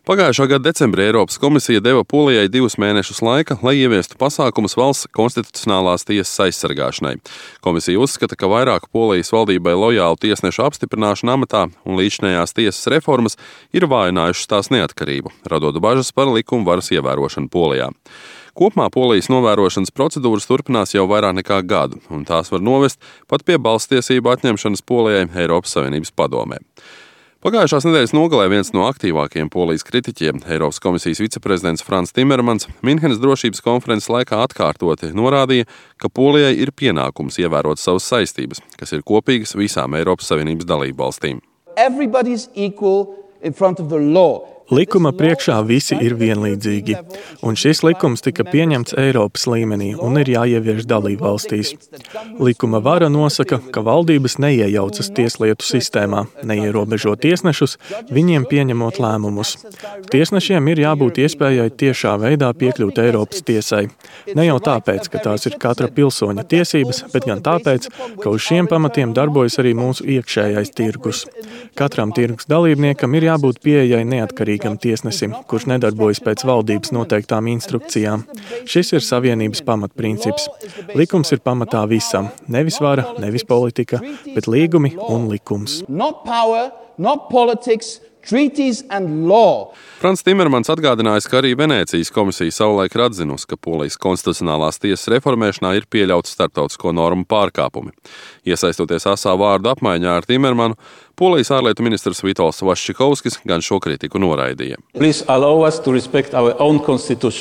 Pagājušā gada decembrī Eiropas komisija deva Polijai 2 mēnešus laika, lai ieviestu pasākumus valsts konstitucionālās tiesas aizsargāšanai. Komisija uzskata, ka vairāk Polijas valdībai lojālu tiesnešu apstiprināšana amatā un līdzinējās tiesas reformas ir vājinājušas tās neatkarību, radot bažas par likuma varas ievērošanu Polijā. Kopumā Polijas novērošanas procedūras turpinās jau vairāk nekā gadu, un tās var novest pat pie balsstiesību atņemšanas Polijai Eiropas Savienības padomē. Pagājušās nedēļas nogalē viens no aktīvākajiem Polijas kritiķiem, Eiropas komisijas viceprezidents Frans Timermans, Minhenes drošības konferences laikā atkārtoti norādīja, ka Polijai ir pienākums ievērot savas saistības, kas ir kopīgas visām Eiropas Savienības dalībvalstīm. Likuma priekšā visi ir vienlīdzīgi, un šis likums tika pieņemts Eiropas līmenī un ir jāievieš dalībvalstīs. Likuma vara nosaka, ka valdības neiejaucas tieslietu sistēmā, neierobežo tiesnešus, viņiem pieņemot lēmumus. Tiesnešiem ir jābūt iespējai tiešā veidā piekļūt Eiropas tiesai. Ne jau tāpēc, ka tās ir katra pilsoņa tiesības, bet gan tāpēc, ka uz šiem pamatiem darbojas arī mūsu iekšējais tirgus. Katram tirgus dalībniekam ir jābūt pieejai neatkarīgam tiesnesim, kurš nedarbojas pēc valdības noteiktām instrukcijām. Šis ir Savienības pamatprincips. Likums ir pamatā visam. Nevis vara, nevis politika, bet līgumi un likums. Frans Timermans atgādinājis, ka arī Venēcijas komisija savulaik ir atzinusi, ka Polijas konstitucionālās tiesas reformēšanā ir pieļauts starptautisko normu pārkāpumi. Iesaistoties asā vārdu apmaiņā ar Timermanu, Polijas ārlietu ministrs Vitols Vaščikovskis gan šo kritiku noraidīja.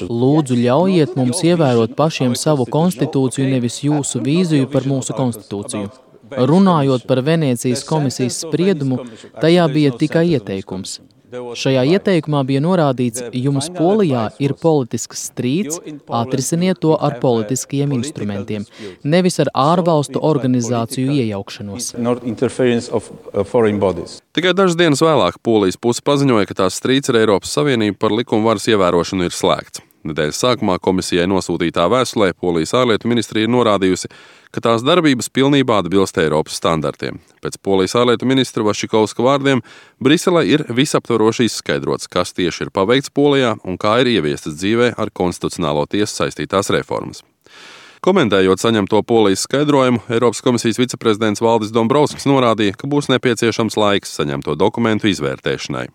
Lūdzu, ļaujiet mums ievērot pašiem savu konstitūciju, nevis jūsu vīziju par mūsu konstitūciju. Runājot par Venēcijas komisijas spriedumu, tajā bija tikai ieteikums. Šajā ieteikumā bija norādīts, jums Polijā ir politisks strīds, atrisiniet to ar politiskiem instrumentiem, nevis ar ārvalstu organizāciju iejaukšanos. Tikai dažas dienas vēlāk Polijas puse paziņoja, ka tās strīds ar Eiropas Savienību par likuma varas ievērošanu ir slēgts. Nedēļas sākumā komisijai nosūtītā vēstulē Polijas ārlietu ministrija ir norādījusi, ka tās darbības pilnībā atbilst Eiropas standartiem. Pēc Polijas ārlietu ministra Vaščikovska vārdiem, Briselē ir visaptvaroši izskaidrots, kas tieši ir paveikts Polijā un kā ir ieviestas dzīvē ar konstitucionālo tiesu saistītās reformas. Komentējot saņemto Polijas skaidrojumu, Eiropas komisijas viceprezidents Valdis Dombrovskis norādīja, ka būs nepieciešams laiks saņemto dokumentu izvērtēšanai.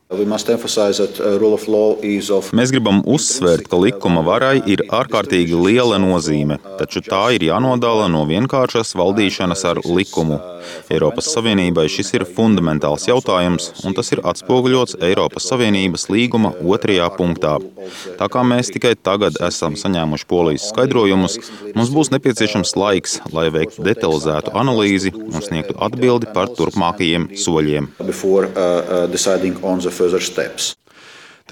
Mēs gribam uzsvērt, ka likuma varai ir ārkārtīgi liela nozīme, taču tā ir jānodala no vienkāršas valdīšanas ar likumu. Eiropas Savienībai šis ir fundamentāls jautājums, un tas ir atspoguļots Eiropas Savienības līguma 2. punktā. Tā kā mēs tikai tagad esam saņēmuši Polijas skaidrojumus, mums būs nepieciešams laiks, lai veiktu detalizētu analīzi un sniegtu atbildi par turpmākajiem soļiem.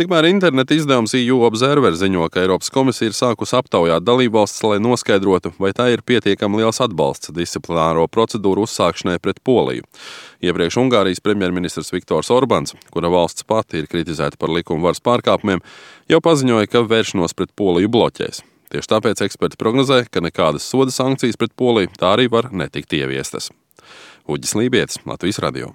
Tikmēr interneta izdevums EU Observer ziņo, ka Eiropas komisija ir sākusi aptaujāt dalībvalstis, lai noskaidrotu, vai tā ir pietiekami liels atbalsts disciplināro procedūru uzsākšanai pret Poliju. Iepriekš Ungārijas premjerministrs Viktors Orbāns, kura valsts pati ir kritizēta par likuma varas pārkāpumiem, jau paziņoja, ka vēršanos pret Poliju bloķēs. Tieši tāpēc eksperti prognozē, ka nekādas soda sankcijas pret Poliju tā arī var netikt ieviestas. Uģis Lībietis, Latvijas radio.